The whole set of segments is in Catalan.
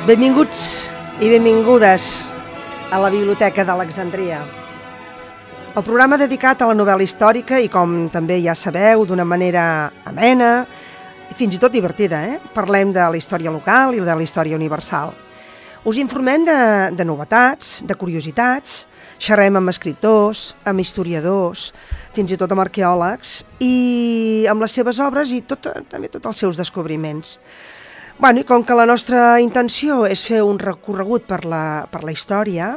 Benvinguts i benvingudes a la Biblioteca d'Alexandria. El programa dedicat a la novel·la històrica i, com també ja sabeu, d'una manera amena i fins i tot divertida. Parlem de la història local i de la història universal. Us informem de novetats, de curiositats, xerrem amb escriptors, amb historiadors, fins i tot amb arqueòlegs i amb les seves obres i també tots els seus descobriments. I com que la nostra intenció és fer un recorregut per la història,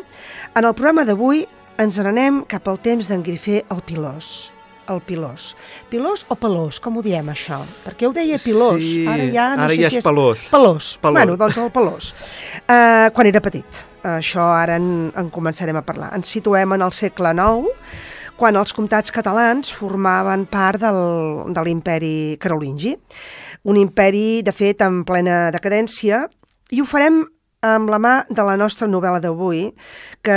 en el programa d'avui ens n'anem cap al temps d'en Grifé el Pilós. El Pilós. Pilós o Pelós? Com ho diem, això? Perquè ho deia Pilós. Sí, ara ja és Pelós. Pelós. Doncs el Pelós. Quan era petit. Això ara en començarem a parlar. Ens situem en el segle IX, quan els comtats catalans formaven part de l'imperi carolingi. Un imperi, de fet, en plena decadència, i ho farem amb la mà de la nostra novel·la d'avui, que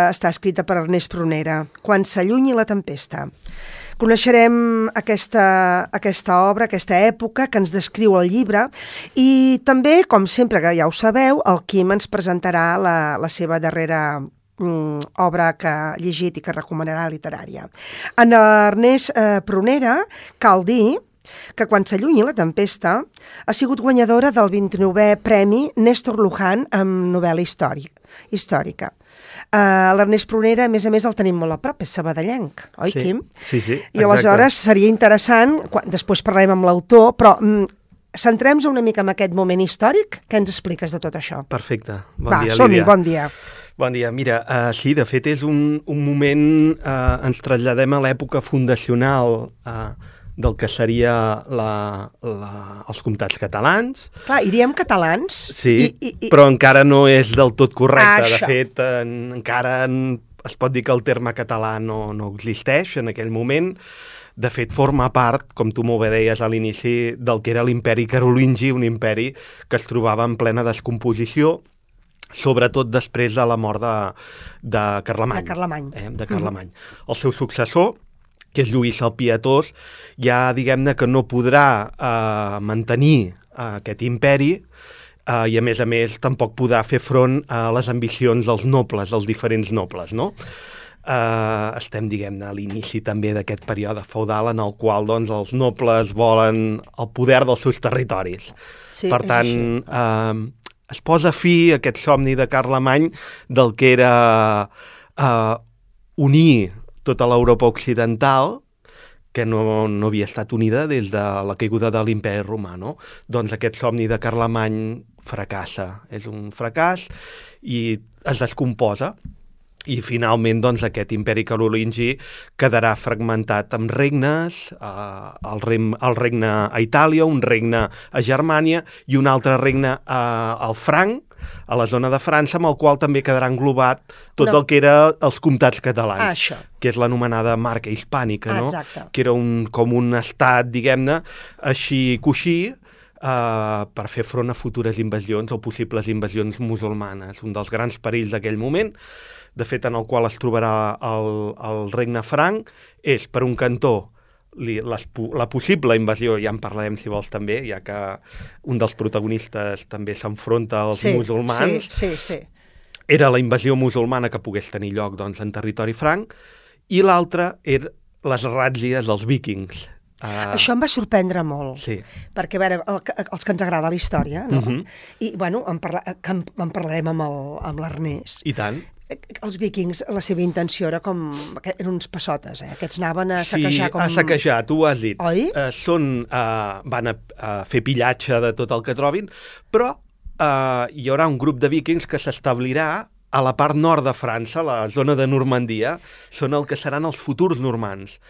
està escrita per Ernest Prunera, Quan s'allunyi la tempesta. Coneixerem aquesta obra, aquesta època que ens descriu el llibre, i també, com sempre que ja ho sabeu, el Quim ens presentarà la seva darrera obra que ha llegit i que recomanarà literària. En Ernest Prunera cal dir que Quan s'allunyi la tempesta ha sigut guanyadora del 29è Premi Néstor Luján amb novel·la històrica. L'Ernest Prunera, a més, el tenim molt a prop, és sabadellenc, oi, sí, Quim? Sí, exacte. I aleshores seria interessant, després parlarem amb l'autor, però centrem-nos una mica en aquest moment històric. Què ens expliques de tot això? Perfecte. Bon dia, som-hi, Lídia. bon dia. Bon dia. Mira, sí, de fet és un moment, ens traslladem a l'època fundacional del que seria els comtats catalans. Clar, i diem catalans. Sí, però encara no és del tot correcte. De fet, encara es pot dir que el terme català no existeix en aquell moment. De fet, forma part, com tu molt bé deies a l'inici, del que era l'imperi carolingi, un imperi que es trobava en plena descomposició, sobretot després de la mort de Carlemany. De Carlemany. El seu successor, que és Lluís el Pietós, ja diguem-ne que no podrà mantenir aquest imperi i a més tampoc podrà fer front a les ambicions dels nobles, dels diferents nobles, no? Estem, diguem-ne, a l'inici també d'aquest període feudal en el qual doncs, els nobles volen el poder dels seus territoris. Sí, per tant, es posa fi a aquest somni de Carlemany del que era unir tota l'Europa occidental, que no havia estat unida des de la caiguda de l'imperi romà, no? Doncs aquest somni de Carlemany fracassa. És un fracàs i es descomposa. I finalment doncs, aquest imperi carolingi quedarà fragmentat amb regnes, el regne a Itàlia, un regne a Germània i un altre regne al Franc, a la zona de França, amb el qual també quedarà englobat tot el que era els comtats catalans, que és l'anomenada marca hispànica, no? Que era com un estat, diguem-ne, així coixí, per fer front a futures invasions o possibles invasions musulmanes. Un dels grans perills d'aquell moment, de fet, en el qual es trobarà el regne franc, és, per un cantó, la possible invasió, ja en parlarem si vols també, ja que un dels protagonistes també s'enfronta als musulmans. Sí. Era la invasió musulmana que pogués tenir lloc doncs, en territori franc, i l'altra eren les ràtzies dels víkings. Això em va sorprendre molt, perquè a veure, els que ens agrada la història, no? I en parlarem amb l'Ernest. I tant. Els víkings, la seva intenció era eren uns passotes, aquests anaven a saquejar a saquejar, tu ho has dit. Oi? Van a fer pillatge de tot el que trobin, però hi haurà un grup de víkings que s'establirà a la part nord de França, la zona de Normandia, són el que seran els futurs normands,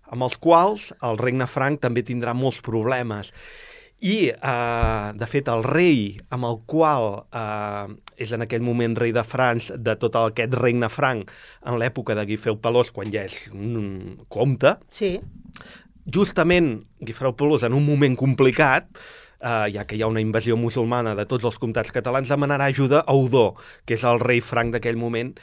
amb els quals el regne franc també tindrà molts problemes. I, de fet, el rei amb el qual és en aquell moment rei de França, de tot aquest regne franc, en l'època de Guifré el Pelós, quan ja és un comte, justament Guifré el Pelós, en un moment complicat, ja que hi ha una invasió musulmana de tots els comtats catalans, demanarà ajuda a Odó, que és el rei franc d'aquell moment,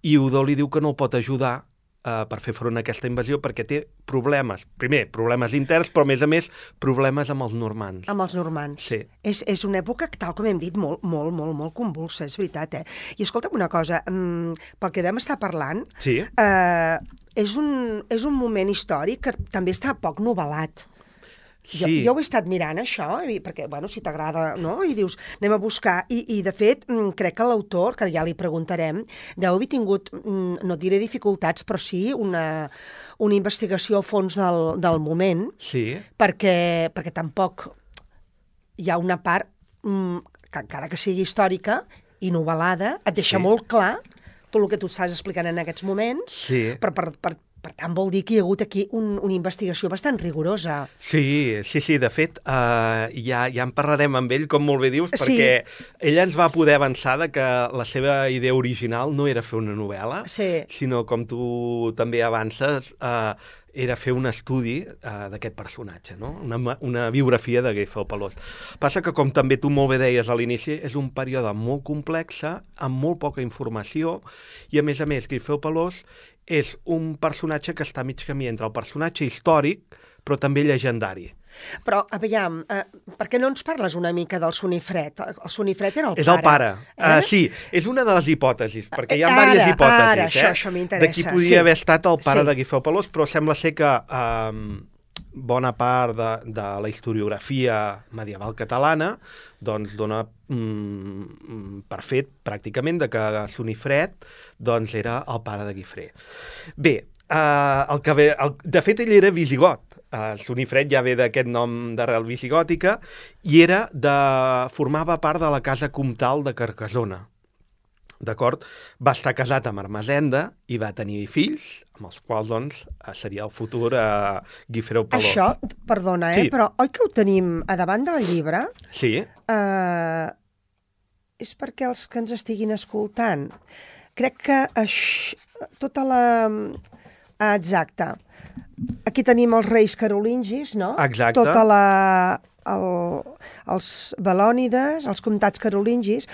i Odó li diu que no el pot ajudar per fer front a aquesta invasió, perquè té problemes. Primer, problemes interns, però a més, problemes amb els normands. Amb els normands. Sí. És una època, tal com hem dit, molt convulsa, és veritat, I escolta'm una cosa, pel que vam estar parlant, Sí. És un moment històric que també està poc novel·lat. Sí. Jo ho he estat mirant, això, perquè, bueno, si t'agrada, no? I dius, anem a buscar. I de fet, crec que l'autor, que ja li preguntarem, deu haver tingut, no diré dificultats, però sí una investigació a fons del moment, Sí. perquè tampoc hi ha una part, que encara que sigui històrica i novel·lada, et deixa molt clar tot el que tu estàs explicant en aquests moments, Sí. Per tant, vol dir que hi ha hagut aquí una investigació bastant rigorosa. Sí, de fet, ja en parlarem amb ell, com molt bé dius, Sí. perquè ella ens va poder avançar de que la seva idea original no era fer una novel·la, Sí. sinó, com tu també avances, era fer un estudi d'aquest personatge, no? Una biografia de Guifré Pelós. Passa que, com també tu molt bé deies a l'inici, és un període molt complex, amb molt poca informació, i a més, Guifré Pelós és un personatge que està a mig camí entre el personatge històric, però també llegendari. Però, aviam, per què no ens parles una mica del Sonifret? El Sonifret era el pare. És el pare. Sí, és una de les hipòtesis, perquè hi ha diverses hipòtesis. Ara, això m'interessa. De qui podia haver estat el pare de Guifré Pelós, però sembla ser que bona part de la historiografia medieval catalana doncs dona per fet, pràcticament, de que Sonifret doncs, era el pare de Guifré. Bé, de fet, ell era visigot. Sonifret ja ve d'aquest nom d'arrel visigòtica i formava part de la casa comtal de Carcassona. D'acord? Va estar casat amb Ermessenda i va tenir fills, amb els quals, doncs, seria el futur Guifré Pelós. Això, perdona, Sí. Però oi que ho tenim a davant del llibre? Sí. És perquè els que ens estiguin escoltant. Crec que tota la... Exacte. Aquí tenim els reis carolingis, no? Exacte. Tota els Belònides, els comtats carolingis,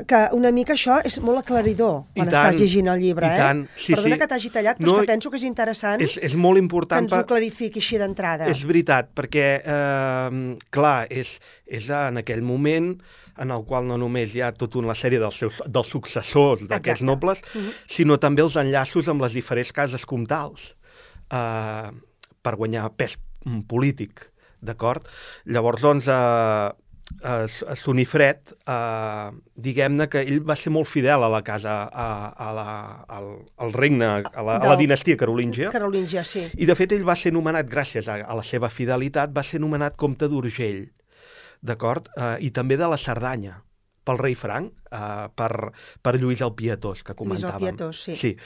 que una mica això és molt aclaridor quan estàs llegint el llibre, I tant. Sí, Perdona que t'hagi tallat, però és que penso que és interessant és molt important que ens ho clarifiqui així d'entrada. És veritat, perquè, clar, és en aquell moment en el qual no només hi ha tota una sèrie dels successors d'aquests nobles, sinó també els enllaços amb les diferents cases comtals per guanyar pes polític. D'acord? Llavors, doncs, Sonifret, diguem-ne que ell va ser molt fidel a la casa, al regne, a la dinastia carolíngia. Carolíngia, sí. I, de fet, ell va ser nomenat, gràcies a la seva fidelitat, va ser nomenat comte d'Urgell, d'acord? I també de la Cerdanya, pel rei Franc, per Lluís el Pietós, que comentàvem. Lluís el Pietós, sí.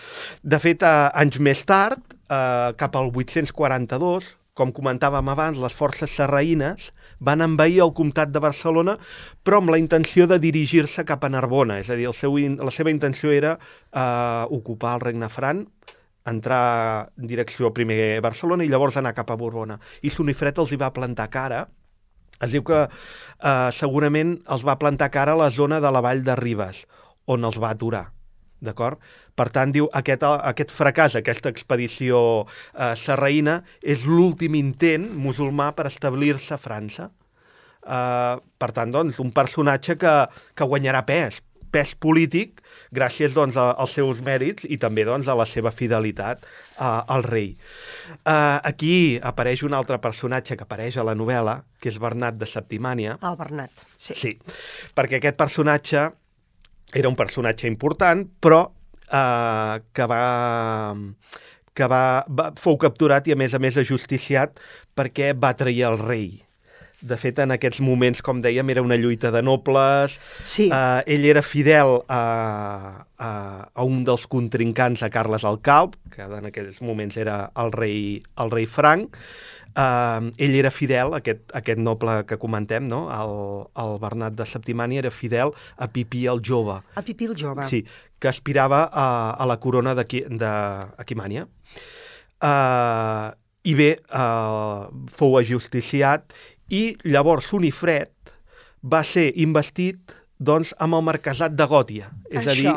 De fet, anys més tard, cap al 842, com comentàvem abans, les forces sarraïnes van envair el comtat de Barcelona, però amb la intenció de dirigir-se cap a Narbona. És a dir, la seva intenció era ocupar el regne franc, entrar en direcció primer a Barcelona i llavors anar cap a Borbona. I Sonifret els hi va plantar cara. Es diu que segurament els va plantar cara a la zona de la vall de Ribes, on els va aturar. D'acord? Per tant, diu, aquest fracàs, aquesta expedició sarraïna, és l'últim intent musulmà per establir-se a França. Per tant, doncs, un personatge que guanyarà pes polític gràcies, doncs, als seus mèrits i també, doncs, a la seva fidelitat al rei. Aquí apareix un altre personatge que apareix a la novel·la, que és Bernat de Septimània. El Bernat, sí. Sí, perquè aquest personatge era un personatge important, però fou capturat i, a més, ajusticiat perquè va trair el rei. De fet, en aquests moments, com dèiem, era una lluita de nobles. Sí. Ell era fidel a un dels contrincants, a Carles el Calb, que en aquells moments era el rei Franc. Ell era fidel, aquest noble que comentem, no? El Bernat de Septimània era fidel a Pipí el Jove. A Pipí el Jove. Sí, que aspirava a la corona d'Aquimània. I bé, fou ajusticiat i llavors Sonifret va ser investit, doncs, amb el marquesat de Gòtia. És a dir,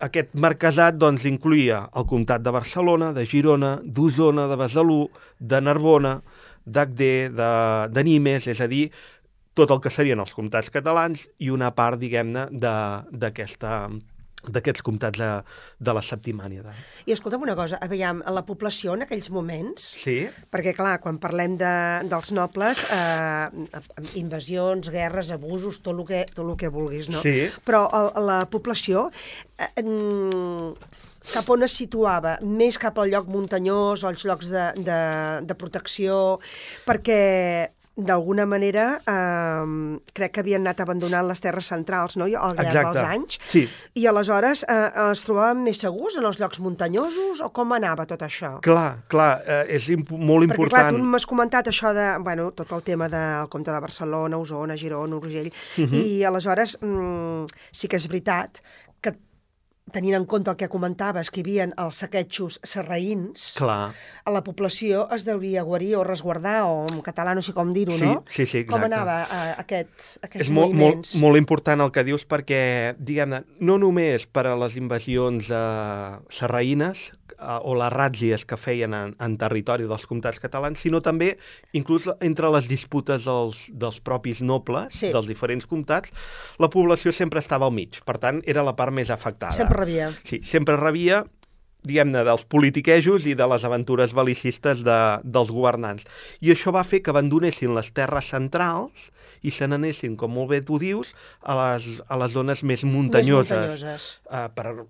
aquest marquesat doncs, incluïa el comtat de Barcelona, de Girona, d'Osona, de Besalú, de Narbona, d'Agder, de Nimes, és a dir, tot el que serien els comtats catalans i una part, diguem-ne, d'aquests comtats de la Septimànida. I escolta'm una cosa, aviam, la població en aquells moments, Sí. perquè clar, quan parlem dels nobles, invasions, guerres, abusos, tot el que vulguis, no? Sí. Però la població cap on es situava? Més cap al lloc muntanyós, als llocs de protecció, perquè d'alguna manera crec que havien anat abandonant les terres centrals, no?, al llarg dels anys. Sí. I aleshores es trobaven més segurs en els llocs muntanyosos o com anava tot això? Clar, és molt important. Perquè clar, tu m'has comentat això de, bueno, tot el tema del comte de Barcelona, Osona, Girona, Urgell, i aleshores sí que és veritat que tenint en compte el que comentaves, que hi havia els saquejos sarraïns, Clar. a la població es deuria guarir o resguardar, o en català no sé com dir-ho, no? Sí, exacte. Com anava aquests és moviments? molt important el que dius perquè, diguem-ne, no només per a les invasions sarraïnes o les ràtzies que feien en territori dels comtats catalans, sinó també, inclús entre les disputes dels propis nobles, Sí. dels diferents comtats, la població sempre estava al mig. Per tant, era la part més afectada. Sempre rebia. Sí, sempre rebia, diguem-ne, dels politiquejos i de les aventures bel·licistes dels governants. I això va fer que abandonessin les terres centrals i se n'anessin, com molt bé tu dius, a les zones més muntanyoses. Per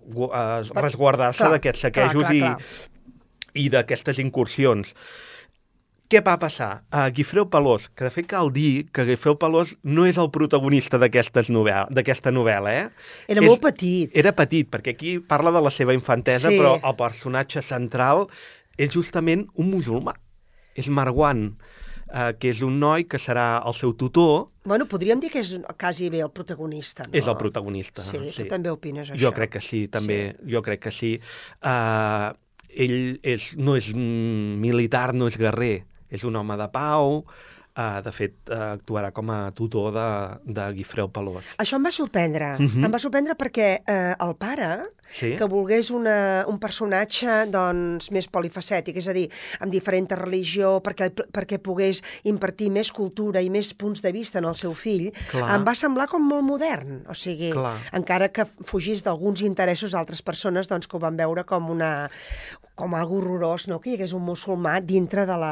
resguardar-se d'aquests saquejos clar. i d'aquestes incursions. Què va passar? Guifreu Pelós, que de fet cal dir que Guifreu Pelós no és el protagonista d'aquesta novel·la, Era molt petit. Era petit, perquè aquí parla de la seva infantesa, Sí. però el personatge central és justament un musulmà. És Marwan, que és un noi que serà el seu tutor. Bueno, podríem dir que és quasi bé el protagonista, no? És el protagonista. Sí, tu també opines això. Jo crec que sí, també. Sí. Jo crec que sí. Ell no és militar, no és guerrer. És un home de pau, de fet, actuarà com a tutor de Guifreu Pelós. Això em va sorprendre. Em va sorprendre perquè el pare, Sí. que volgués un personatge doncs, més polifacètic, és a dir, amb diferent religió, perquè pogués impartir més cultura i més punts de vista en el seu fill, Clar. em va semblar com molt modern. O sigui, Clar. encara que fugís d'alguns interessos d'altres persones doncs, que ho van veure com algo horrorós, no?, que hi hagués un musulmà dintre del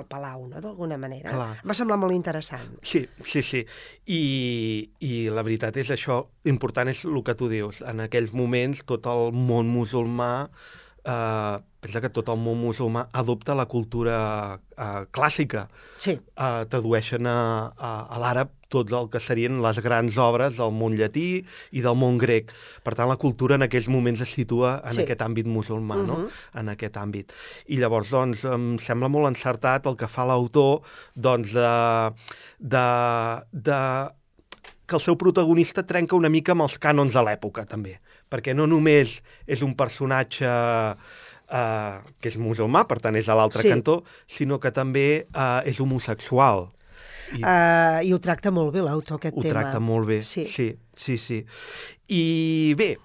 palau, no?, d'alguna manera. Clar. Em va semblar molt interessant. Sí. I la veritat és això, important és el que tu dius. En aquells moments tot el món musulmà, pensa que tot el món musulmà adopta la cultura clàssica. Sí. Tradueixen a l'àrab tot el que serien les grans obres del món llatí i del món grec. Per tant, la cultura en aquells moments es situa en aquest àmbit musulmà, no? En aquest àmbit. I llavors, doncs, em sembla molt encertat el que fa l'autor, doncs, que el seu protagonista trenca una mica amb els cànons de l'època, també. Perquè no només és un personatge que és musulmà, per tant és a l'altre cantó, sinó que també és homosexual. I ho tracta molt bé l'autor, aquest tema. Ho tracta molt bé, sí. I bé,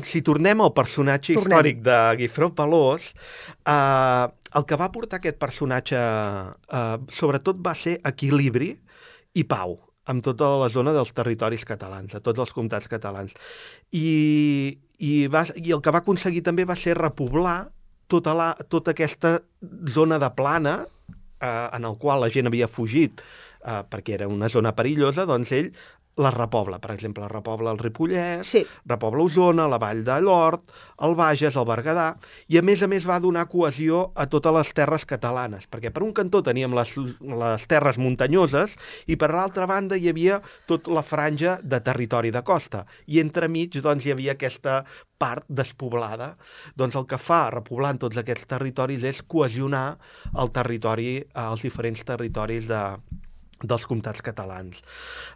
si tornem al personatge històric de Guifreu Pelós, el que va portar aquest personatge sobretot va ser equilibri i pau amb tota la zona dels territoris catalans, de tots els comtats catalans. I el que va aconseguir també va ser repoblar tota aquesta zona de plana en el qual la gent havia fugit perquè era una zona perillosa, doncs ell la repobla. Per exemple, repobla el Ripollès, repobla Osona, la Vall de Llort, el Bages, el Berguedà, i a més va donar cohesió a totes les terres catalanes, perquè per un cantó teníem les terres muntanyoses i per l'altra banda hi havia tota la franja de territori de costa, i entremig doncs, hi havia aquesta part despoblada. Doncs el que fa repoblant tots aquests territoris és cohesionar el territori, els diferents territoris dels comtats catalans.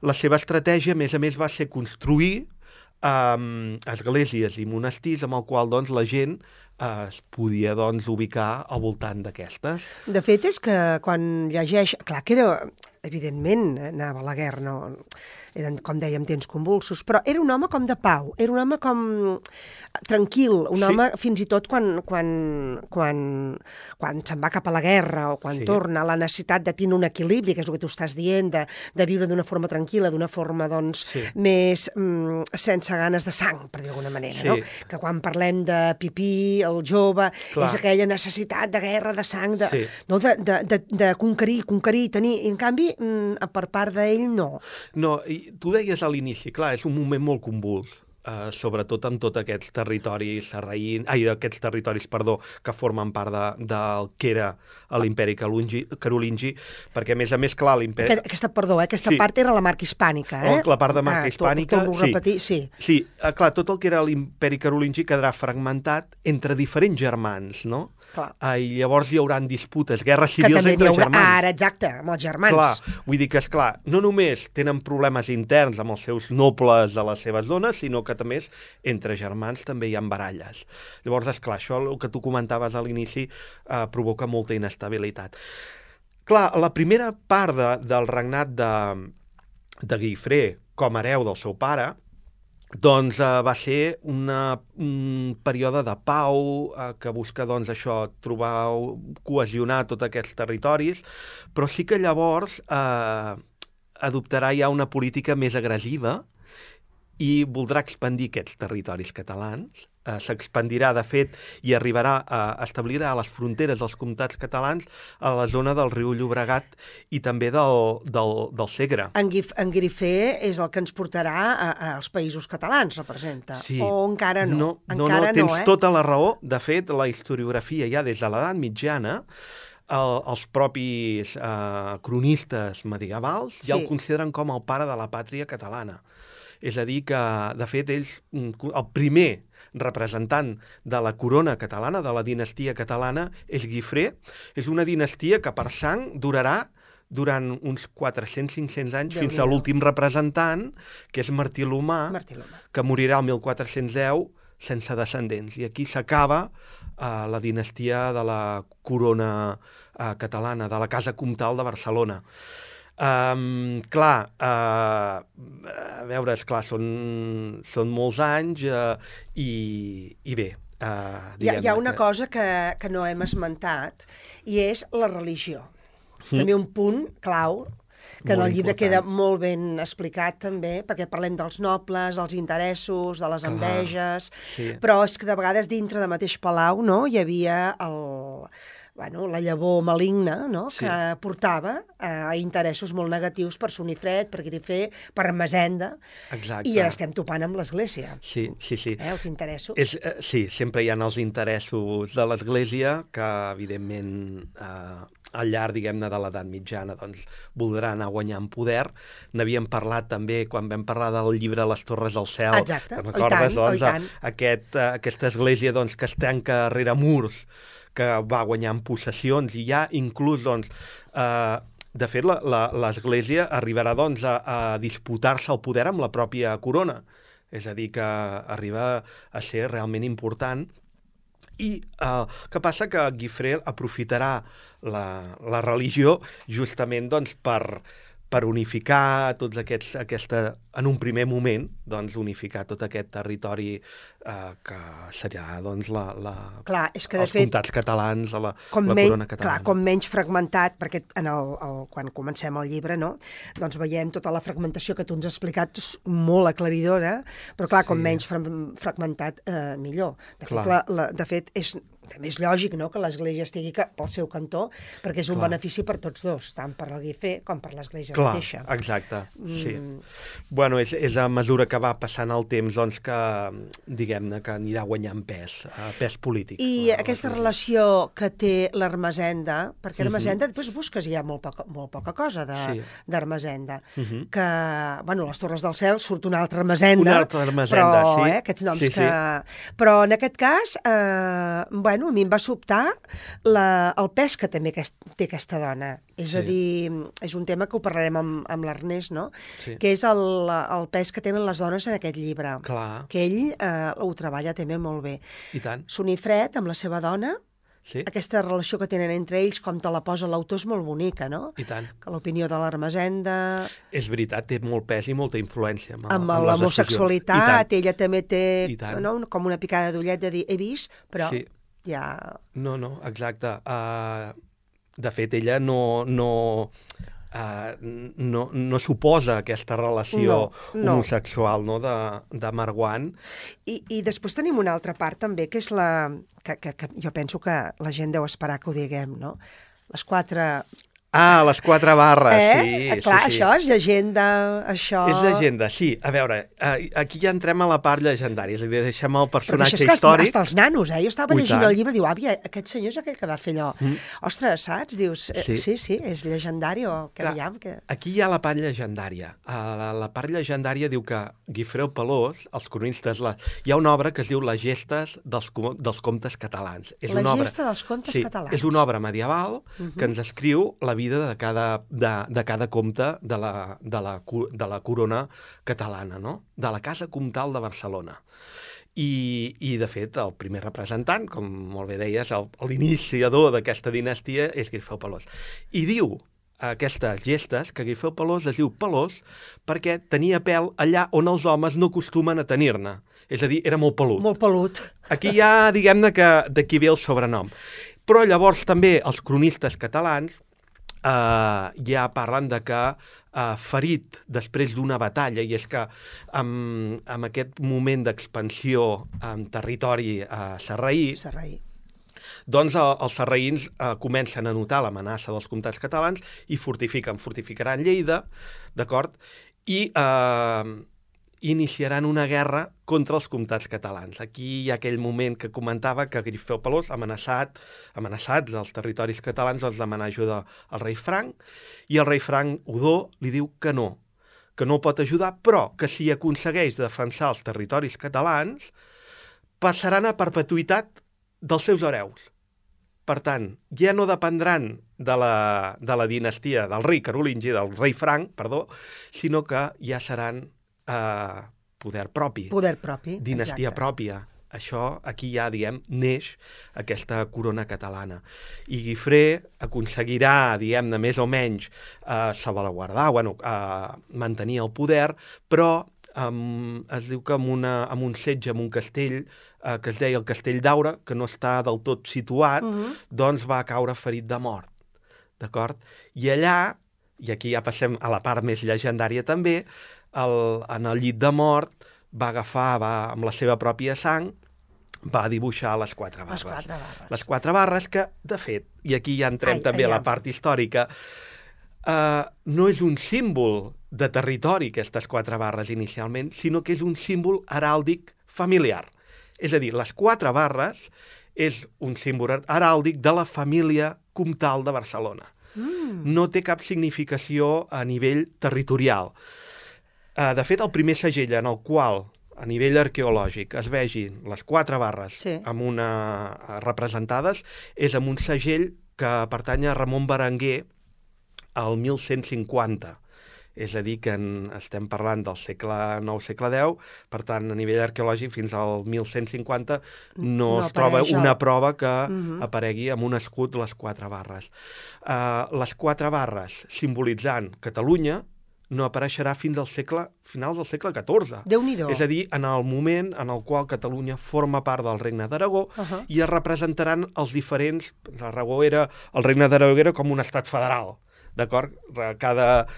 La seva estratègia, a més, va ser construir esglésies i monestirs amb el qual doncs, la gent es podia doncs, ubicar al voltant d'aquestes. De fet, és que quan llegeix... Clar, que era evidentment, anava a la guerra, no? Eren, com dèiem, temps convulsos, però era un home com de pau, era un home com tranquil, un home fins i tot quan se'n va cap a la guerra o quan torna, la necessitat de tenir un equilibri, que és el que tu estàs dient, de viure d'una forma tranquil·la, d'una forma, doncs, més sense ganes de sang, per dir d'alguna manera, no? Que quan parlem de Pipí, el jove, és aquella necessitat de guerra, de sang, de conquerir, tenir, i en canvi, per part d'ell, no. No, i tu deies a l'inici, clar, és un moment molt convuls, sobretot amb tots aquests territoris aquests territoris, que formen part del que era l'imperi carolingi, perquè, a més, clar, l'imperi... Aquesta part era la marca hispànica, eh? La part de marca hispànica, torno a repetir, sí. Sí, clar, tot el que era l'imperi carolingi quedarà fragmentat entre diferents germans, no? I llavors hi haurà disputes, guerres civils entre germans. Ara, exacte, amb els germans. Clar, vull dir que, esclar, no només tenen problemes interns amb els seus nobles de les seves dones, sinó que també entre germans també hi ha baralles. Llavors, esclar, això, el que tu comentaves a l'inici, provoca molta inestabilitat. Clar, la primera part del regnat de Guifré com a hereu del seu pare, doncs va ser un període de pau que busca, doncs, això, cohesionar tots aquests territoris, però sí que llavors adoptarà ja una política més agressiva i voldrà expandir aquests territoris catalans. S'expandirà, de fet, i establirà a les fronteres dels comtats catalans a la zona del riu Llobregat i també del Segre. En Guifré és el que ens portarà als països catalans, representa. Sí. O encara no? No, tens tota la raó. De fet, la historiografia ja des de l'edat mitjana, els propis cronistes medievals ja el consideren com el pare de la pàtria catalana. És a dir, que, de fet, el primer representant de la corona catalana, de la dinastia catalana, és Guifré. És una dinastia que per sang durarà durant uns 400-500 anys fins a l'últim representant, que és Martí l'Humà, que morirà el 1410 sense descendents. I aquí s'acaba la dinastia de la corona catalana, de la Casa Comtal de Barcelona. Clar, a veure, esclar, són molts anys i bé. Hi ha una cosa que no hem esmentat i és la religió. També un punt clau que en el llibre queda molt ben explicat també, perquè parlem dels nobles, els interessos, de les enveges, però és que de vegades dintre de mateix palau hi havia la llavor maligna, que portava a interessos molt negatius per Sonifred, per Guifré, per Ermessenda, i estem topant amb l'Església. Sí. Els interessos. Sí, sempre hi ha els interessos de l'Església que, evidentment, al llarg, diguem-ne, de l'edat mitjana, doncs, voldrà anar guanyant poder. N'havíem parlat també quan vam parlar del llibre Les Torres del Cel. Exacte, i tant. Aquesta església que es tanca rere murs, que va guanyant possessions, i ja inclús, doncs, de fet, l'Església arribarà, doncs, a disputar-se el poder amb la pròpia corona. És a dir, que arriba a ser realment important. I què passa? Que Guifré aprofitarà la religió justament, doncs, per unificar tots en un primer moment, doncs, unificar tot aquest territori que serà, doncs, els comtats catalans, la corona catalana. Clar, com menys fragmentat, perquè quan comencem el llibre, doncs veiem tota la fragmentació que tu ens has explicat, molt aclaridora, però clar, com menys fragmentat, millor. De fet, també és lògic que l'Església estigui pel seu cantó, perquè és un benefici per tots dos, tant per la Guifré com per l'Església mateixa. Exacte, sí. Bueno, és a mesura que va passant el temps, doncs, que, diguem-ne, que anirà guanyant pes polític. I aquesta relació que té l'Ermessenda, perquè Ermessenda, després busques, hi ha molt poca cosa d'Ermessenda, que, bueno, les Torres del Cel surt una altra Ermessenda, però aquests noms que... Però en aquest cas, bueno, a mi em va sobtar el pes que també té aquesta dona. És a dir, és un tema que ho parlarem amb l'Ernest, no? Que és el pes que tenen les dones en aquest llibre. Que ell ho treballa també molt bé. I tant. Sonifred, amb la seva dona, Sí. Aquesta relació que tenen entre ells, com te la posa l'autor, és molt bonica, no? I tant. Que l'opinió de l'Ermessenda... És veritat, té molt pes i molta influència Amb les l'homosexualitat, ella també té com una picada d'ullet de dir he vist, però ja... No, exacte. De fet, ella no suposa aquesta relació homosexual de Marwan. I després tenim una altra part també, que és la... que jo penso que la gent deu esperar que ho diguem, no? Les 4... Ah, les 4 barres, sí. Clar, sí. Això és llegenda, això... És llegenda, sí. A veure, aquí ja entrem a la part llegendària, és a dir, deixem el personatge històric... Però això és que hasta els nanos, Jo estava llegint el llibre i diu, àvia, aquest senyor és aquell que va fer allò. Ostres, saps? Dius, sí, és llegendari o què veiem? Aquí hi ha la part llegendària. La part llegendària diu que Guifreu Pelós, els cronistes... Hi ha una obra que es diu Les gestes dels comtes catalans. La gesta dels comtes catalans. És una obra medieval que ens descriu la vida de cada comte de la corona catalana, no? De la Casa Comtal de Barcelona. I, de fet, el primer representant, com molt bé deies, l'iniciador d'aquesta dinastia és Guifreu Pelós. I diu aquestes gestes que Guifreu Pelós es diu Pelós perquè tenia pèl allà on els homes no acostumen a tenir-ne. És a dir, era molt pelut. Molt pelut. Aquí ja, diguem-ne, que d'aquí ve el sobrenom. Però llavors també els cronistes catalans ja parlen de que ferit després d'una batalla, i és que amb aquest moment d'expansió en territori sarraí, doncs els sarraïns comencen a notar l'amenaça dels comtats catalans i fortificaran Lleida, d'acord? I iniciaran una guerra contra els comtats catalans. Aquí hi ha aquell moment que comentava que Guifreu Pelós, amenaçats els territoris catalans, doncs demanar ajuda al rei Franc, i el rei Franc Odó li diu que no pot ajudar, però que si aconsegueix defensar els territoris catalans, passaran a perpetuïtat dels seus hereus. Per tant, ja no dependran de la dinastia del rei carolingi, del rei Franc, sinó que ja seran poder propi. Dinastia pròpia. Això, aquí ja, neix aquesta corona catalana. I Guifré aconseguirà, més o menys, salvaguardar, mantenir el poder, però es diu que amb un setge, amb un castell, que es deia el Castell d'Aura, que no està del tot situat, doncs va caure ferit de mort. D'acord? I allà, i aquí ja passem a la part més llegendària també, en el llit de mort va agafar, amb la seva pròpia sang, va dibuixar les 4 barres. Les 4 barres que, de fet, i aquí ja entrem també a la part històrica, no és un símbol de territori, aquestes 4 barres inicialment, sinó que és un símbol heràldic familiar. És a dir, les 4 barres és un símbol heràldic de la família comtal de Barcelona. No té cap significació a nivell territorial. De fet, el primer segell en el qual, a nivell arqueològic, es vegin les 4 barres representades és amb un segell que pertany a Ramon Berenguer al 1150. És a dir, que estem parlant del segle IX, segle X, per tant, a nivell arqueològic, fins al 1150 no es troba una prova que aparegui amb un escut les 4 barres. Les 4 barres simbolitzant Catalunya no apareixerà fins al finals del segle XIV. Déu-n'hi-do. És a dir, en el moment en el qual Catalunya forma part del Regne d'Aragó i es representaran els diferents... El Regne d'Aragó era com un estat federal, d'acord? Cada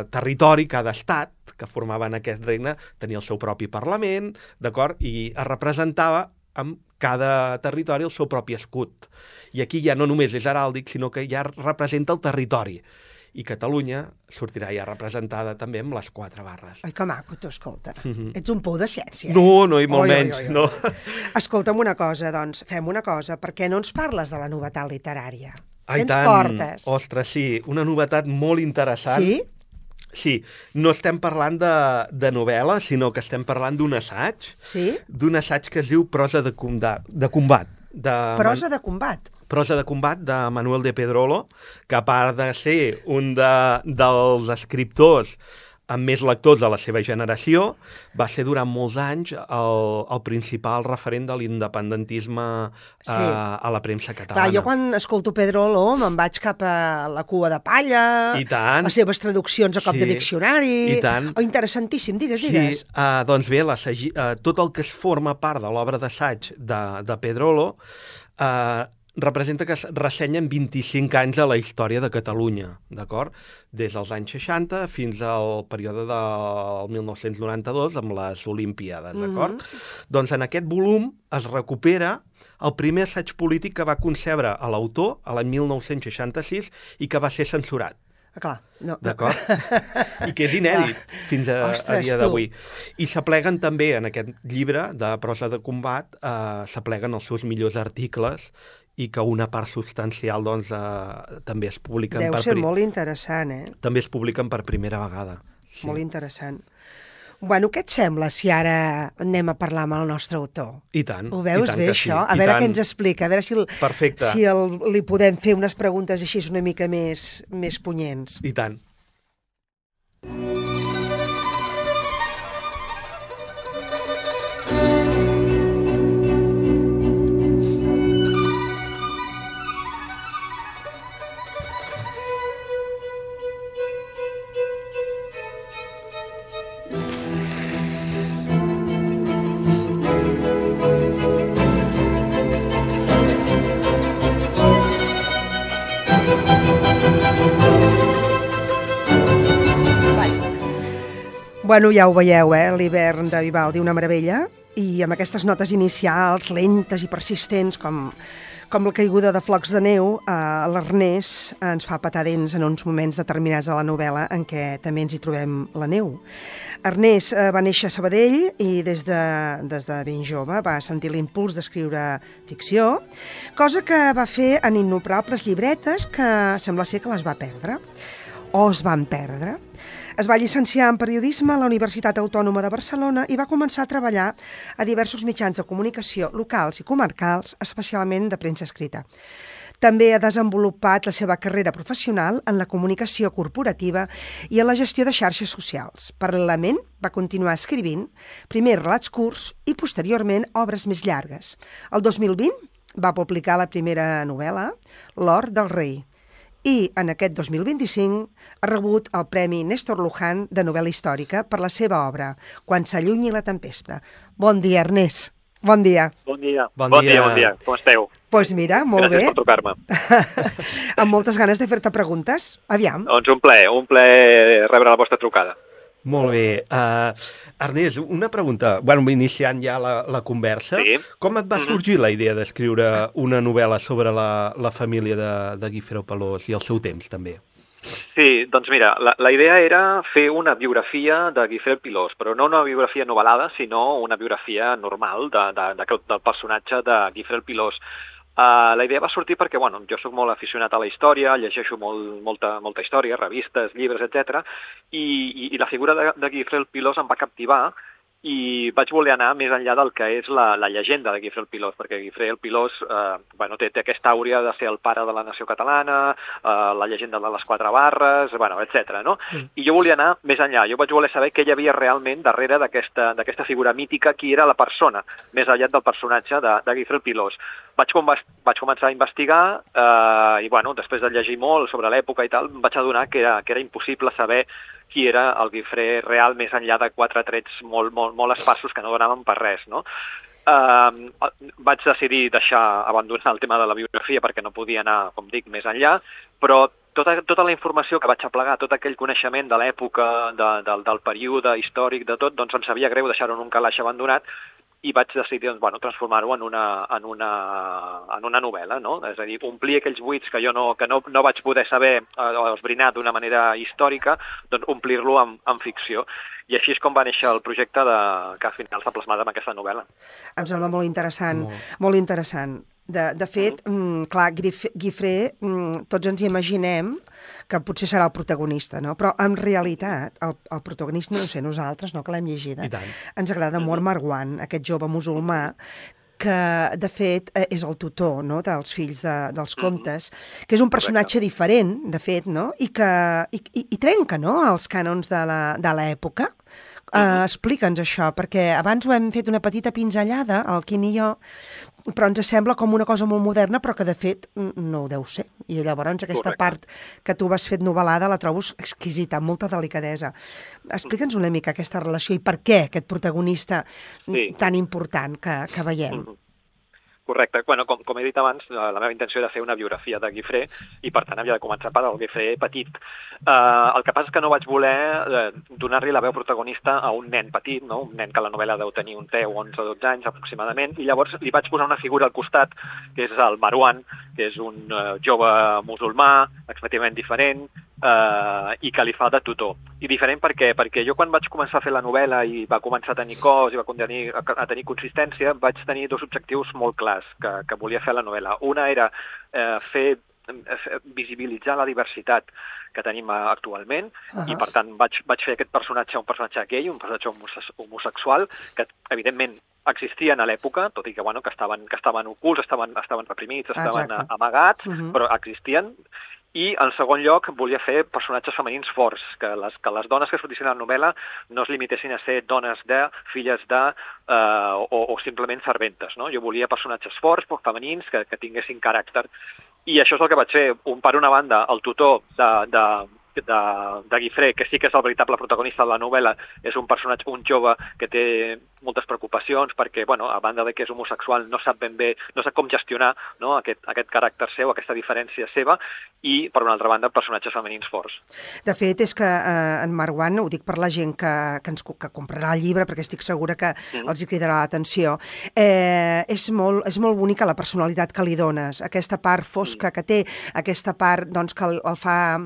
territori, cada estat que formava en aquest regne tenia el seu propi parlament, d'acord? I es representava amb cada territori el seu propi escut. I aquí ja no només és heràldic, sinó que ja representa el territori. I Catalunya sortirà ja representada també amb les 4 barres. Ai, que maco, tu, escolta. Ets un pou de ciència. No, i molt menys. No. Escolta'm una cosa, doncs, fem una cosa. Per què no ens parles de la novetat literària? Ai, què ens portes? Ostres, sí, una novetat molt interessant. Sí? Sí, no estem parlant de novel·la, sinó que estem parlant d'un assaig. Sí? D'un assaig que es diu Prosa de combat. Prosa de combat? Prosa de combat de Manuel de Pedrolo, que a part de ser un dels escriptors amb més lectors de la seva generació, va ser durant molts anys el principal referent de l'independentisme a la premsa catalana. Clar, jo quan escolto Pedrolo me'n vaig cap a La cua de palla, I tant. les seves traduccions a cop de diccionari... I tant. Oh, interessantíssim, digues. Sí, doncs bé, tot el que es forma part de l'obra d'assaig de Pedrolo representa que es ressenyen 25 anys de la història de Catalunya, d'acord? Des dels anys 60 fins al període del 1992 amb les Olimpíades, d'acord? Doncs en aquest volum es recupera el primer assaig polític que va concebre a l'autor a l'any 1966 i que va ser censurat. Clar, no. D'acord? I que és inèdit fins a dia d'avui. I s'apleguen també en aquest llibre de prosa de combat, s'apleguen els seus millors articles i que una part substancial doncs, també es publiquen Deu ser molt interessant, també es publiquen per primera vegada. Sí. Molt interessant. Bueno, què et sembla si ara anem a parlar amb el nostre autor? I tant. Ho veus bé, això? A veure què ens explica, a veure si li podem fer unes preguntes així una mica més punyents. I tant. Bueno, ja ho veieu, l'hivern de Vivaldi, una meravella, i amb aquestes notes inicials lentes i persistents, com la caiguda de flocs de neu, l'Ernest ens fa petar dents en uns moments determinats de la novel·la en què també ens hi trobem la neu. Ernest va néixer a Sabadell i des de ben jove va sentir l'impuls d'escriure ficció, cosa que va fer en innombrables llibretes que sembla ser que les va perdre, o es van perdre. Es va llicenciar en periodisme a la Universitat Autònoma de Barcelona i va començar a treballar a diversos mitjans de comunicació locals i comarcals, especialment de premsa escrita. També ha desenvolupat la seva carrera professional en la comunicació corporativa i en la gestió de xarxes socials. Paral·lelament, va continuar escrivint, primer relats curts i posteriorment obres més llargues. El 2020 va publicar la primera novel·la, L'or del rei, i en aquest 2025 ha rebut el Premi Néstor Luján de novel·la històrica per la seva obra Quan s'allunyi la tempesta. Bon dia, Ernest. Bon dia. Bon dia. Bon dia. Com esteu? Doncs mira, molt bé. Gràcies per trucar-me. Amb moltes ganes de fer-te preguntes. Aviam. Doncs un plaer rebre la vostra trucada. Molt bé. Ernest, una pregunta. Bueno, iniciant ja la conversa. Sí. Com et va sorgir la idea d'escriure una novel·la sobre la família de Guifreu Pelós i el seu temps, també? Sí, doncs mira, la idea era fer una biografia de Guifreu Pelós, però no una biografia novel·lada, sinó una biografia normal del personatge de Guifreu Pelós. La idea va sortir perquè, bueno, jo sóc molt aficionat a la història, llegeixo molta història, revistes, llibres, etc. I la figura de Guifreu Pelós em va captivar i vaig voler anar més enllà del que és la llegenda de Guifreu Pelós, perquè Guifreu Pelós té aquesta àurea de ser el pare de la nació catalana, la llegenda de les 4 barres, etc. No? I jo volia anar més enllà, jo vaig voler saber què hi havia realment darrere d'aquesta figura mítica, qui era la persona, més enllà del personatge de Guifreu Pelós. Vaig començar a investigar i, després de llegir molt sobre l'època i tal, em vaig adonar que era impossible saber qui era el Guifré real més enllà de 4 trets molt esparsos que no donaven per res, no? Vaig decidir abandonar el tema de la biografia perquè no podia anar, com dic, més enllà, però tota la informació que vaig aplegar, tot aquell coneixement de l'època, del període històric, de tot, doncs em sabia greu deixar-ho en un calaix abandonat i vaig decidir transformar-ho en una novel·la, no? És a dir, omplir aquells buits que jo no vaig poder saber o esbrinar d'una manera històrica, doncs omplir-lo en ficció. I així és com va néixer el projecte que al final s'ha plasmat en aquesta novel·la. Em sembla molt interessant, molt interessant. De fet, clar, Guifré, tots ens imaginem que potser serà el protagonista, no? Però en realitat el protagonista, no sé, nosaltres, no, que l'hem llegida, ens agrada Mor Marwan, aquest jove musulmà que de fet és el tutor, no?, dels fills dels comtes, que és un personatge diferent, de fet, no?, i que i trenca, no?, els cànons de l'època. Explica'ns això, perquè abans ho hem fet una petita pinzellada, el Quim i jo, però ens sembla com una cosa molt moderna, però que de fet no ho deu ser. I llavors aquesta part que tu vas fet novel·lada la trobo exquisita, amb molta delicadesa. Explica'ns una mica aquesta relació i per què aquest protagonista tan important que veiem. Correcte. Bueno, com he dit abans, la meva intenció era fer una biografia de Guifré i, per tant, havia de començar per el Guifré petit. El que passa és que no vaig voler donar-li la veu protagonista a un nen petit, no? Un nen que a la novel·la deu tenir uns 10, 11 o 12 anys aproximadament, i llavors li vaig posar una figura al costat, que és el Marwan, que és un jove musulmà, extremadament diferent, i que li fa de tutor. I diferent per què? Perquè jo quan vaig començar a fer la novel·la i va començar a tenir cos i va a tenir consistència, vaig tenir dos objectius molt clars que volia fer la novel·la. Una era visibilitzar la diversitat que tenim actualment i, per tant, vaig fer aquest personatge un personatge gay, un personatge homosexual, que, evidentment, existien a l'època, tot i que, bueno, que estaven ocults, estaven reprimits, estaven amagats, però existien. I, en segon lloc, volia fer personatges femenins forts, que les dones que sortissin a la novel·la no es limitessin a ser dones de, filles de, o simplement serventes, no? Jo volia personatges forts, femenins, que tinguessin caràcter. I això és el que vaig fer. Per una banda, el tutor de Guifré, que sí que és el veritable protagonista de la novel·la, és un personatge, un jove que té moltes preocupacions perquè, bueno, a banda de que és homosexual, no sap ben bé, no sap com gestionar, no, aquest caràcter seu, aquesta diferència seva, i, per una altra banda, personatges femenins forts. De fet, és que en Marwan, ho dic per la gent que comprarà el llibre, perquè estic segura que els hi cridarà l'atenció, és molt bonica la personalitat que li dones, aquesta part fosca que té, aquesta part doncs, que el fa,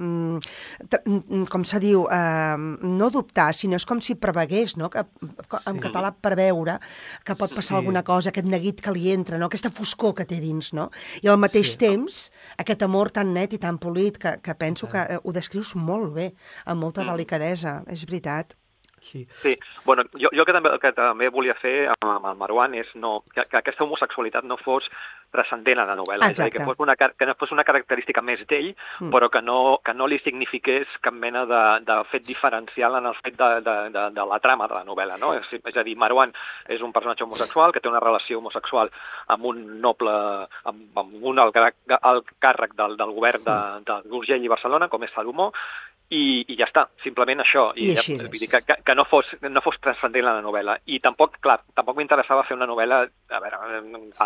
com se diu, no dubtar, sinó és com si prevegués, no? En català preveure que pot passar alguna cosa, aquest neguit que li entra, no? Aquesta foscor que té dins, no? I al mateix temps, aquest amor tan net i tan polit que penso que ho descrius molt bé, amb molta delicadesa, és veritat. Sí. Bueno, jo que també volia fer amb el Marwan és que aquesta homosexualitat no fos transcendent a la novel·la, és a dir, que no fos una característica més d'ell, però que no li signifiqués cap mena de fet diferencial en el fet de la trama de la novel·la, no? És a dir, Marwan és un personatge homosexual que té una relació homosexual amb un noble, amb un alt càrrec del govern d'Urgell i Barcelona, com és Salomó, i ja està, simplement això. I ja, vull dir que no fos transcendent la novel·la. I tampoc m'interessava fer una novel·la, a veure,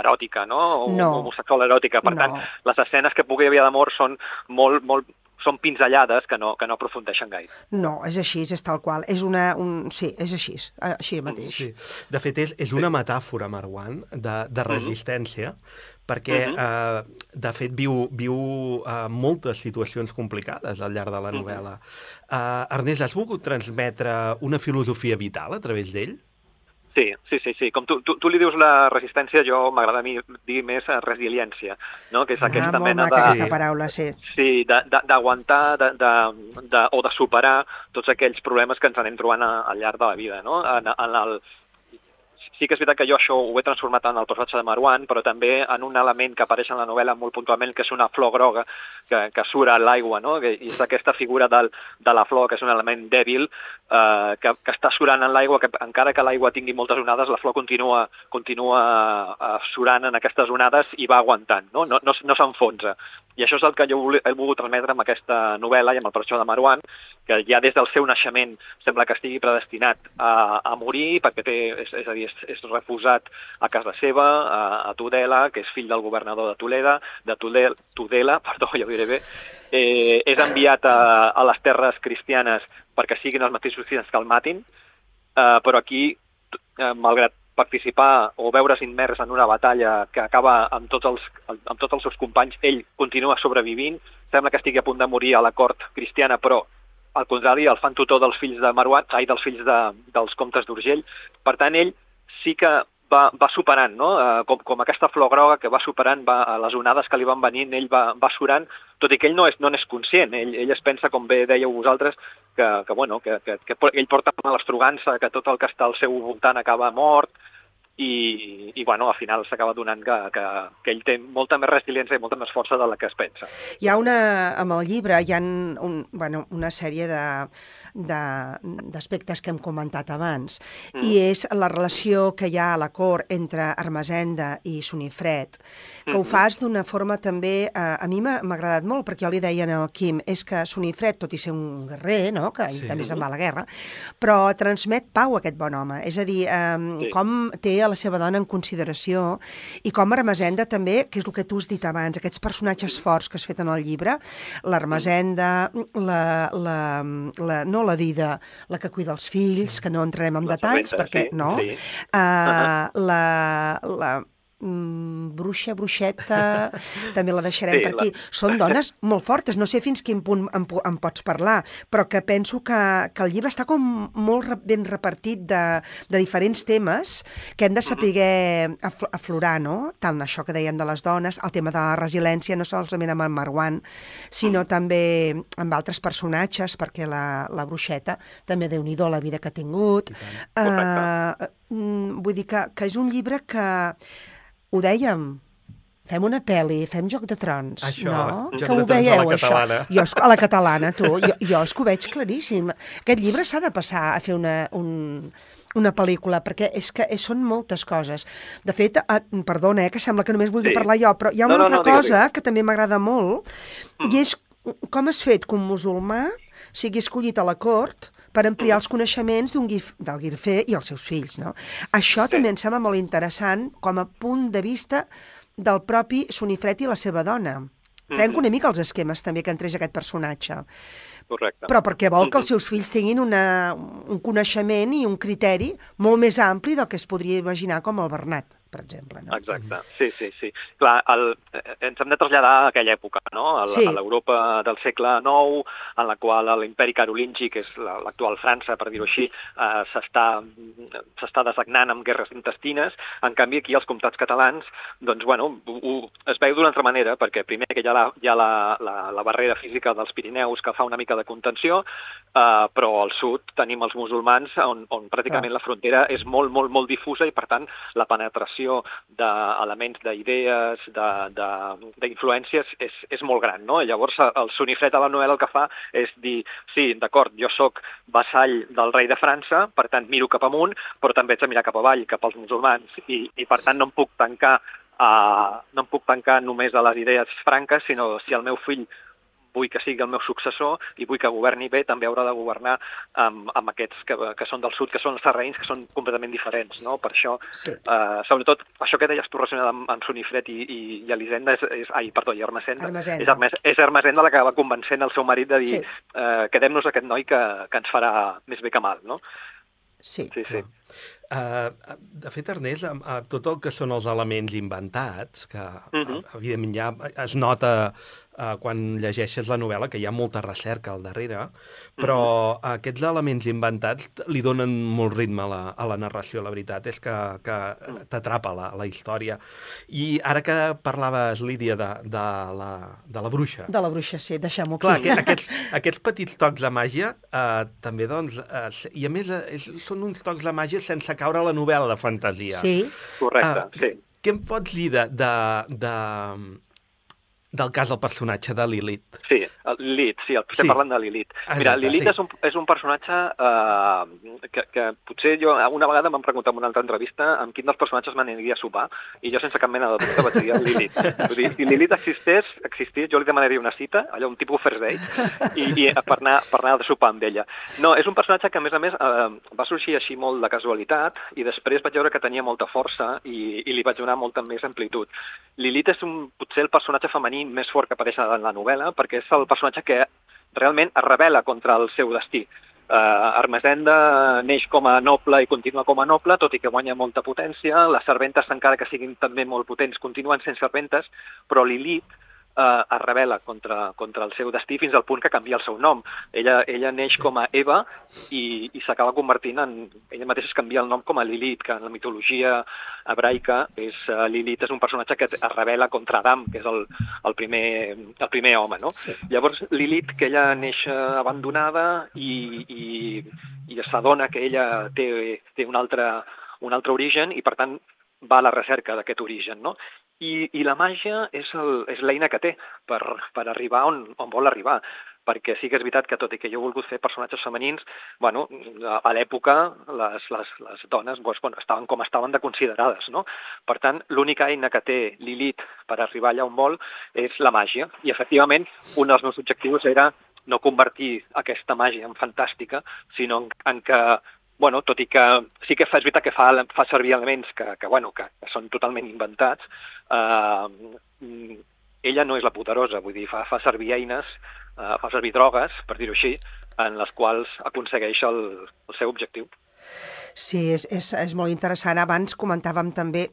eròtica, no? Homosexual eròtica. Per tant, les escenes que pugui haver d'amor són són pinzellades que no aprofundeixen gaire. No, és així, és tal qual. Sí, és així mateix. Sí. De fet, és una metàfora, Marwan, de resistència, perquè, de fet, viu moltes situacions complicades al llarg de la novel·la. Ernest, has volgut transmetre una filosofia vital a través d'ell? Sí. Com tu li dius la resistència, jo m'agrada a mi dir més resiliència, no? Que és aquesta mena de... aquesta paraula, sí. Sí, d'aguantar o de superar tots aquells problemes que ens anem trobant al llarg de la vida, no? Sí que és veritat que jo això ho he transformat en el personatge de Marwan, però també en un element que apareix en la novel·la molt puntualment, que és una flor groga que surt a l'aigua, no? I és aquesta figura de la flor, que és un element dèbil, que està surant en l'aigua, que encara que l'aigua tingui moltes onades, la flor continua surant en aquestes onades i va aguantant, no s'enfonsa. I això és el que jo he volgut transmetre amb aquesta novel·la i amb el personatge de Marwan, que ja des del seu naixement sembla que estigui predestinat a morir, perquè és a dir, és refusat a casa seva, a Tudela, que és fill del governador de Tudela, perdó, ja ho diré bé, és enviat a les terres cristianes perquè siguin els mateixos cristians que el matin, però aquí, malgrat participar o veure's immers en una batalla que acaba amb tots els seus companys, ell continua sobrevivint, sembla que estigui a punt de morir a la cort cristiana, però al contrari, el fan tutor dels fills de Marwan, dels fills dels comtes d'Urgell. Per tant, ell sí que va superant, no? Com aquesta flor groga que va superant les onades que li van venint, ell va surant, tot i que ell no n'és conscient. Ell es pensa, com bé dèieu vosaltres, que ell porta una l'estrogança, que tot el que està al seu voltant acaba mort, i bueno, al final s'acaba donant que ell té molta més resiliència i molta més força de la que es pensa. Hi ha amb el llibre hi ha una sèrie d'aspectes que hem comentat abans, i és la relació que hi ha a la cort entre Ermessenda i Sunifred, que ho fas d'una forma també, a mi m'ha agradat molt, perquè jo li deia al Quim, és que Sunifred, tot i ser un guerrer, no? Que ell també se'n va a la guerra, però transmet pau a aquest bon home, és a dir, com té a la seva dona en consideració, i com Ermessenda també, que és el que tu has dit abans, aquests personatges forts que has fet en el llibre, l'Ermessenda, no la Dida, la que cuida els fills, que no entrarem en detalls, perquè no, la bruixeta, també la deixarem per aquí. Són dones molt fortes, no sé fins quin punt em pots parlar, però que penso que el llibre està com molt ben repartit de diferents temes que hem de saber aflorar, no? Tant això que dèiem de les dones, el tema de la resiliència, no solament amb el Marwan, sinó també amb altres personatges, perquè la bruixeta també Déu-n'hi-do la vida que ha tingut. Vull dir que és un llibre que ho dèiem, fem una pel·li, fem Joc de Trons, això, no? Joc Que ho de Trons veieu, a la catalana. això? A la catalana, tu. Jo és que ho veig claríssim. Aquest llibre s'ha de passar a fer una pel·lícula, perquè és que són moltes coses. De fet, perdona, que sembla que només vulgui parlar jo, però hi ha una altra cosa que també m'agrada molt, i és com has fet que un musulmà sigui escollit a la cort per ampliar els coneixements del Guifré i els seus fills, no? Això també em sembla molt interessant com a punt de vista del propi Sunifred i la seva dona. Trenca una mica els esquemes també que entrés aquest personatge. Correcte. Però perquè vol que els seus fills tinguin un coneixement i un criteri molt més ampli del que es podria imaginar com el Bernat, per exemple. No? Exacte, sí. Clar, ens hem de traslladar a aquella època, no? A l'Europa del segle IX, en la qual l'imperi carolingi, que és l'actual França, per dir-ho així, s'està desagnant amb guerres intestines. En canvi, aquí els comtats catalans, doncs, bueno, es veu d'una altra manera, perquè primer que hi ha la barrera física dels Pirineus que fa una mica de contenció, però al sud tenim els musulmans on pràcticament la frontera és molt, molt, molt difusa i, per tant, la penetració d'elements, d'idees, d'influències és molt gran, no? Llavors, el Sunifred a la novel·la el que fa és dir, sí, d'acord, jo sóc vassall del rei de França, per tant, miro cap amunt, però també haig de mirar cap avall, cap als musulmans, i per tant no em puc tancar només a les idees franques, sinó si el meu fill vull que sigui el meu successor i vull que governi bé, també haurà de governar amb aquests que són del sud, que són els sarraïns, que són completament diferents, no? Per això, sobretot, això que deies tu relacionat amb Sunifred i Elisenda, i Ermessenda, és Ermessenda la que va convencent el seu marit de dir quedem-nos aquest noi que ens farà més bé que mal, no? Sí. De fet, Ernest, tot el que són els elements inventats, que evidentment ja es nota quan llegeixes la novel·la que hi ha molta recerca al darrere, però aquests elements inventats li donen molt ritme a la narració. La veritat és que t'atrapa la història. I ara que parlaves, Lídia, de la bruixa... De la bruixa, sí, deixem-ho aquí. Clar, aquests petits tocs de màgia també, doncs... I a més, són uns tocs de màgia sense caure a la novel·la de fantasia. Sí. Correcte, sí. Què em pots dir del cas del personatge de Lilith? Sí, Lilith, estem parlant de Lilith. Mira, Lilith és un personatge que potser jo una vegada m'han preguntat en una altra entrevista amb quin dels personatges m'aniria a sopar, i jo sense cap mena de dubte vaig dir Lilith. Vull dir, si Lilith existís, jo li demanaria una cita, allò un tipus first date, i per anar a sopar amb ella. No, és un personatge que, a més, va sorgir així molt de casualitat, i després vaig veure que tenia molta força i li vaig donar molta més amplitud. Lilith és potser el personatge femení més fort que apareix en la novel·la, perquè és el personatge que realment es rebel·la contra el seu destí. Ermessenda neix com a noble i continua com a noble, tot i que guanya molta potència. Les serventes, encara que siguin també molt potents, continuen sent serventes, però Lilith es rebel·la contra el seu destí fins al punt que canvia el seu nom. Ella neix com a Eva i s'acaba convertint ella mateixa es canvia el nom com a Lilith, que en la mitologia hebraica Lilith és un personatge que es rebel·la contra Adam, que és el primer home, no? Sí. Llavors Lilith, que ella neix abandonada i s'adona que ella té un altre un altre origen i, per tant, va a la recerca d'aquest origen, no? I la màgia és l'eina que té per arribar on vol arribar, perquè sí que és veritat que tot i que jo he volgut fer personatges femenins, bueno, a l'època les dones estaven com estaven de considerades, no? Per tant, l'única eina que té Lilith per arribar allà on vol és la màgia, i efectivament un dels meus objectius era no convertir aquesta màgia en fantàstica, sinó en que, bueno, tot i que sí que és veritat que fa servir elements que són totalment inventats, ella no és la poderosa, vull dir, fa servir eines, fa servir drogues, per dir-ho així, en les quals aconsegueix el seu objectiu. Sí, és molt interessant. Abans comentàvem també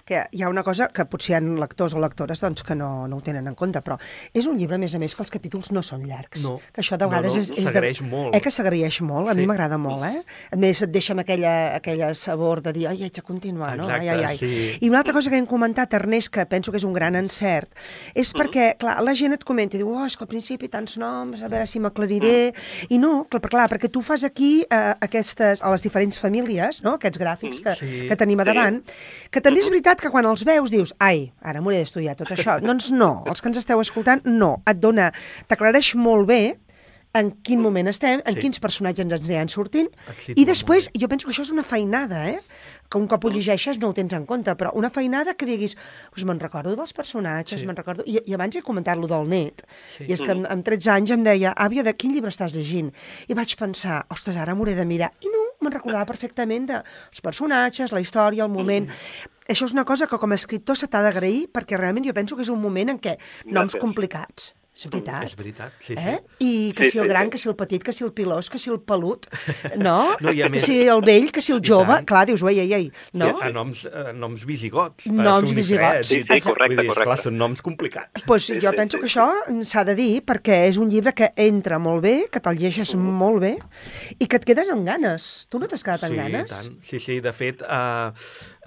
que hi ha una cosa que potser hi ha lectors o lectores doncs, que no ho tenen en compte, però és un llibre, a més, que els capítols no són llargs. No, que això de vegades s'agraeix molt. Que s'agraeix molt, a mi m'agrada molt, A més, et deixa amb aquella sabor de dir, ai, haig de continuar, no? Exacte, sí. I una altra cosa que hem comentat, Ernest, que penso que és un gran encert, és perquè, clar, la gent et comenta i diu, és que al principi tants noms, a veure si m'aclariré, i no, clar, perquè tu fas aquí a les diferents famílies, no? Aquests gràfics que tenim a davant, que també és veritat que quan els veus dius, ai, ara m'hauré d'estudiar tot això. Doncs no, els que ens esteu escoltant, no. T'aclareix molt bé en quin moment estem, en quins personatges ens aniran sortint, i després, jo penso que això és una feinada, que un cop ho llegeixes no ho tens en compte, però una feinada que diguis, doncs me'n recordo dels personatges, me'n recordo... I abans he comentat-lo del net, i és que amb 13 anys em deia, àvia, de quin llibre estàs llegint? I vaig pensar, ostres, ara m'hauré de mirar. I no, me'n recordava perfectament dels personatges, la història, el moment... Això és una cosa que com a escriptor se t'ha d'agrair, perquè realment jo penso que és un moment en què noms complicats, és veritat. És veritat, sí. I que si el gran, que si el petit, que si el pilós, que si el pelut, no? Que si el vell, que si el jove, clar, dius, ei, no? Noms visigots. Noms visigots. Sí, correcte. Clar, són noms complicats. Doncs jo penso que això s'ha de dir, perquè és un llibre que entra molt bé, que te'l llegeixes molt bé, i que et quedes amb ganes. Tu no t'has quedat amb ganes? Sí, de fet...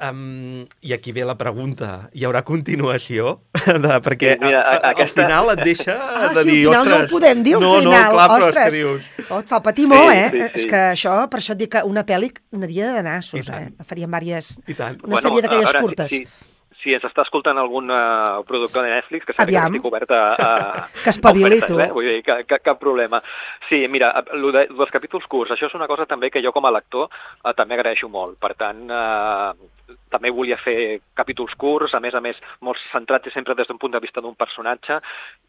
I aquí ve la pregunta, hi haurà continuació? Perquè al final et deixa de dir, al final no ho podem dir, al final. No, clar, però és que dius... Et fa patir molt, És que això, per això et dic que una pel·li aniria de nassos, Faríem una sèrie d'aquelles curtes. Si ens està escoltant algun productor de Netflix, que sàpiga que estic obert a que espavili, tu. Vull dir, cap problema. Sí, mira, dels capítols curts, això és una cosa també que jo com a lector també agraeixo molt. Per tant, també volia fer capítols curts, a més, molt centrats sempre des d'un punt de vista d'un personatge,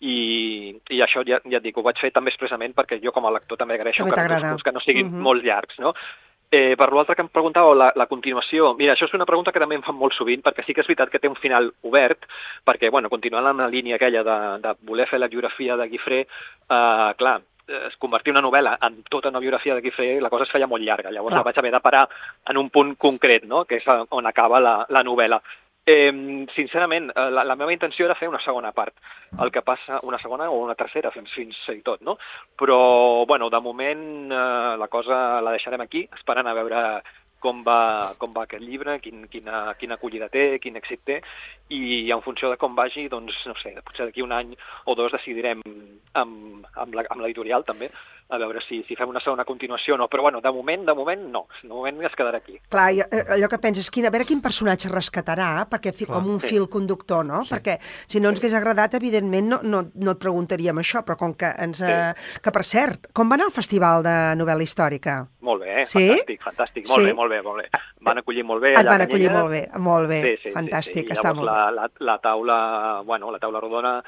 i això ja et dic, ho vaig fer també expressament perquè jo com a lector també agraeixo capítols curts que no siguin molt llargs, no? Per l'altre que em preguntàveu, la continuació, mira, això és una pregunta que també em fan molt sovint, perquè sí que és veritat que té un final obert, perquè, continuant amb la línia aquella de voler fer la biografia de Guifré, clar, convertir una novel·la en tota una biografia de Guifré, la cosa es feia molt llarga, llavors la vaig haver de parar en un punt concret, no?, que és on acaba la novel·la. Sincerament, la meva intenció era fer una segona part, el que passa, una segona o una tercera, fins i tot, no? Però, de moment la cosa la deixarem aquí, esperant a veure com va aquest llibre, quina acollida té, quin èxit té, i en funció de com vagi, doncs, no sé, potser d'aquí un any o dos decidirem amb l'editorial també, a veure si fem una segona continuació o no, però de moment no, de moment es quedarà aquí. Clar, allò que penses, a veure quin personatge rescatarà, perquè com un fil conductor, no? Perquè si no ens hagués agradat, evidentment no et preguntaríem això, però com que que per cert, com va anar el Festival de Novel·la Històrica? Molt bé, fantàstic, molt bé. Van acollir molt bé. Et van acollir molt bé, fantàstic, està molt bé. La taula rodona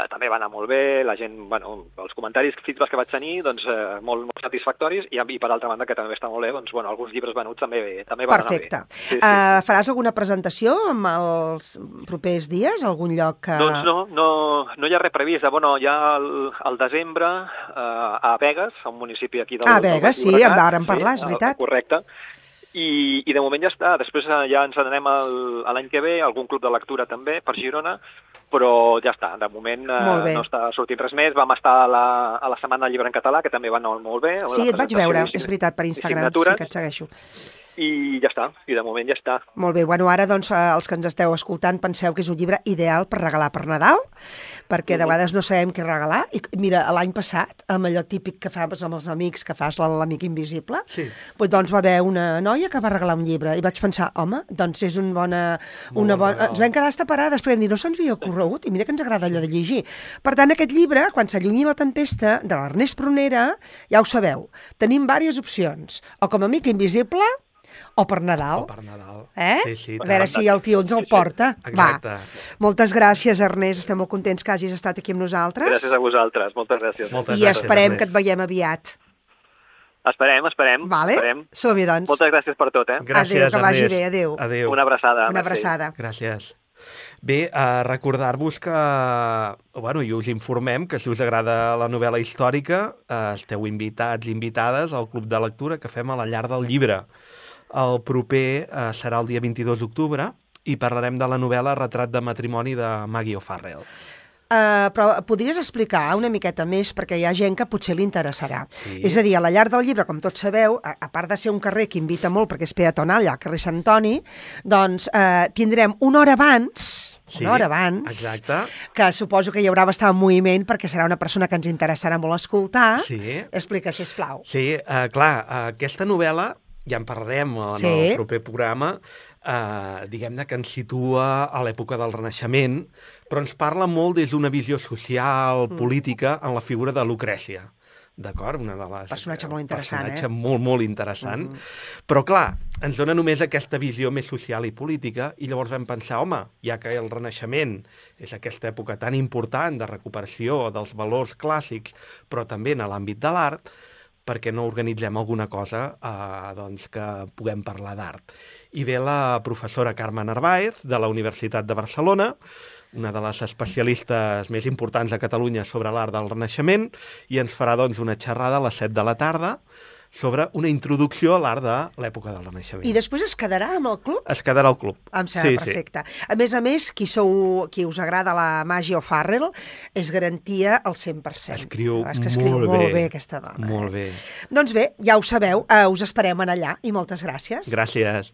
també va anar molt bé, la gent, els comentaris, feedbacks que vaig tenir, doncs molt satisfactoris, i per altra banda, que també està molt bé, doncs, alguns llibres venuts també van anar bé. Perfecte. Faràs alguna presentació en els propers dies, algun lloc que... Doncs no hi ha res previst. Hi ha al desembre a Begues, un municipi aquí del... A Begues, sí, en vàrem parlar, és veritat. Correcte. I de moment ja està. Després ja ens n'anem l'any que ve, algun club de lectura també, per Girona, però ja està, de moment no està sortint res més. Vam estar a la Setmana del Llibre en Català, que també va anar molt bé. Sí, et vaig veure, és veritat, per Instagram, sí que et segueixo. I ja està, i de moment ja està. Molt bé, bueno, ara doncs els que ens esteu escoltant penseu que és un llibre ideal per regalar per Nadal, perquè de vegades no sabem què regalar, i mira, l'any passat, amb allò típic que fas amb els amics, que fas l'amic invisible, doncs va haver una noia que va regalar un llibre, i vaig pensar, home, doncs és una bona... Ens vam quedar estaparades, perquè no se'ns havia ocorregut, i mira que ens agrada allò de llegir. Per tant, aquest llibre, Quan s'allunyi la tempesta, de l'Ernest Prunera, ja ho sabeu, tenim diverses opcions, o com a amic invisible, o per Nadal. O per Nadal. Sí, a veure si el tio ens el porta. Exacte. Va. Moltes gràcies, Ernest. Estem molt contents que hagis estat aquí amb nosaltres. Gràcies a vosaltres. Moltes gràcies. I esperem que et veiem aviat. Esperem. Vale? Som-hi, doncs. Moltes gràcies per tot, Gràcies, adéu, que vagi bé. Adéu. Adéu. Una abraçada. Una abraçada. Gràcies. Bé, recordar-vos que, bueno, i us informem que si us agrada la novel·la històrica, esteu invitats i invitades al Club de Lectura que fem a la Llar del Llibre. El proper serà el dia 22 d'octubre i parlarem de la novel·la Retrat de matrimoni de Maggie O'Farrell. Però podries explicar una miqueta més, perquè hi ha gent que potser li interessarà. Sí. És a dir, a la Llar del Llibre, com tots sabeu, a part de ser un carrer que invita molt perquè és peatonal, al carrer Sant Antoni, doncs tindrem una hora abans, exacte, que suposo que hi haurà bastant moviment perquè serà una persona que ens interessarà molt escoltar. Sí. Explica, sisplau. Sí, clar, aquesta novel·la, ja en parlarem en el proper programa, diguem-ne que ens situa a l'època del Renaixement, però ens parla molt des d'una visió social, política, en la figura de Lucrècia. D'acord? Una de les... Personatge molt interessant, personatge molt interessant. Però, clar, ens dona només aquesta visió més social i política, i llavors vam pensar, home, ja que el Renaixement és aquesta època tan important de recuperació dels valors clàssics, però també en l'àmbit de l'art, perquè no organitzem alguna cosa doncs que puguem parlar d'art. I ve la professora Carme Narváez, de la Universitat de Barcelona, una de les especialistes més importants a Catalunya sobre l'art del Renaixement, i ens farà doncs una xerrada a les 7 de la tarda sobre una introducció a l'art de l'època del Renaixement. I després es quedarà amb el club? Es quedarà al club. Em sembla perfecte. A més, qui us agrada la Maggie O'Farrell és garantia al 100%. Escriu molt bé aquesta dona. Molt bé. Doncs bé, ja ho sabeu, us esperem allà i moltes gràcies. Gràcies.